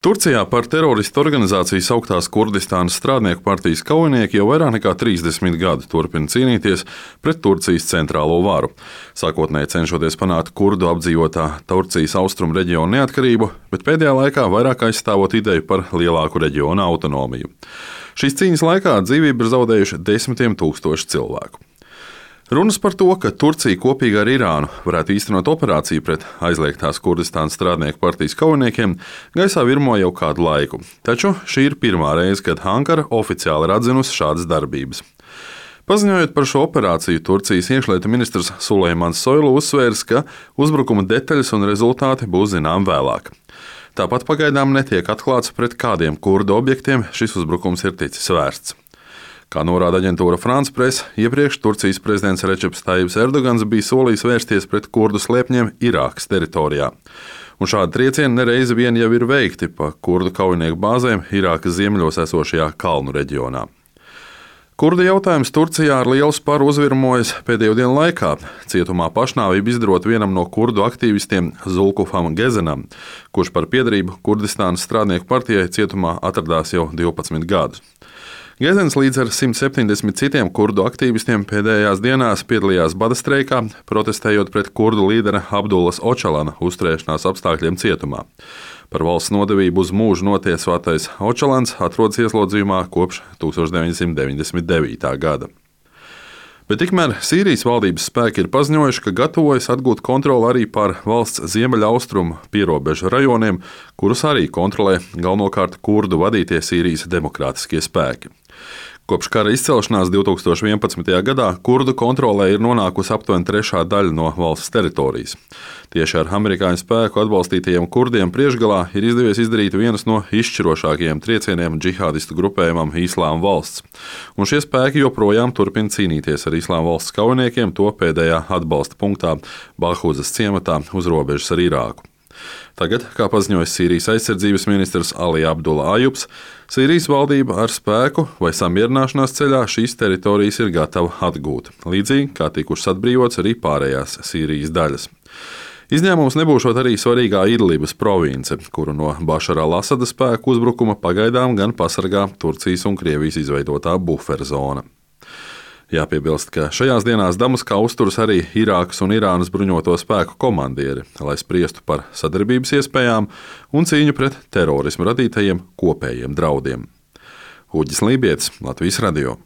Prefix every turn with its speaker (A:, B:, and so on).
A: Turcijā par teroristu organizāciju sauktās Kurdistānas strādnieku partijas kaujinieki jau vairāk nekā 30 gadu turpina cīnīties pret Turcijas centrālo varu, sākotnēji cenšoties panākt kurdu apdzīvotā Turcijas austrumu reģionu neatkarību, bet pēdējā laikā vairāk aizstāvot ideju par lielāku reģionu autonomiju. Šīs cīņas laikā dzīvību ir zaudējuši desmitiem tūkstoši cilvēku. Runas par to, ka Turcija kopīgi ar Irānu varētu īstenot operāciju pret aizliegtās Kurdistānas strādnieku partijas kaujiniekiem, gaisā virmo jau kādu laiku. Taču šī ir pirmā reize, kad Ankara oficiāli ir atzinusi šādas darbības. Paziņojot par šo operāciju, Turcijas iekšlietu ministrs Sulejmans Soylu uzsvērs, ka uzbrukuma detaļas un rezultāti būs zinām vēlāk. Tāpat pagaidām netiek atklāts, pret kādiem kurdu objektiem šis uzbrukums ir ticis vērsts. Kā norāda aģentūra France Press, iepriekš Turcijas prezidents Redžeps Tajibs Erdogans bija solījis vērsties pret kurdu slēpņiem Irākas teritorijā. Un šādi triecieni nereizi vien jau ir veikti pa kurdu kaujinieku bāzēm Irākas ziemeļos esošajā kalnu reģionā. Kurdu jautājums Turcijā ar lielu sparu uzvirmojas pēdējo dienu laikā. Cietumā pašnāvību izdarot vienam no kurdu aktīvistiem Zulkufam Gezenam, kurš par piederību Kurdistānas strādnieku partijai cietumā atradās jau 12 gadus. Gezens līdz ar 170 citiem kurdu aktīvistiem pēdējās dienās piedalījās bada streikā, protestējot pret kurdu līdera Abdullas Očalana uzturēšanās apstākļiem cietumā. Par valsts nodevību uz mūžu notiesātais Očalans atrodas ieslodzījumā kopš 1999. gada. Bet tikmēr Sīrijas valdības spēki ir paziņojuši, ka gatavojas atgūt kontroli arī pār valsts ziemeļaustrumu pierobežu rajoniem, kurus arī kontrolē galvenokārt kurdu vadītie Sīrijas demokrātiskie spēki. Kopš kara izcelšanās 2011. gadā kurdu kontrolē ir nonākusi aptuveni trešā daļa no valsts teritorijas. Tieši ar amerikāņu spēku atbalstītajiem kurdiem priekšgalā ir izdevies izdarīt vienas no izšķirošākajiem triecieniem džihādistu grupējumam Islāma valsts. Un šie spēki joprojām turpina cīnīties ar Islāma valsts kaujiniekiem to pēdējā atbalsta punktā Bahūzas ciematā uz robežas ar Irāku. Tagad, kā paziņojis Sīrijas aizsardzības ministrs Ali Abdullah Ajubs, Sīrijas valdība ar spēku vai samierināšanās ceļā šīs teritorijas ir gatava atgūt, līdzīgi kā tikušas atbrīvotas arī pārējās Sīrijas daļas. Izņēmums nebūšot arī svarīgā Idlibas province, kuru no Bašara al-Asada spēku uzbrukuma pagaidām gan pasargā Turcijas un Krievijas izveidotā buferzona. Jāpiebilst, ka šajās dienās Damaskā uzturas arī Irākas un Irānas bruņoto spēku komandieri, lai spriestu par sadarbības iespējām un cīņu pret terorismu radītajiem kopējiem draudiem. Uģis Lībietis, Latvijas radio.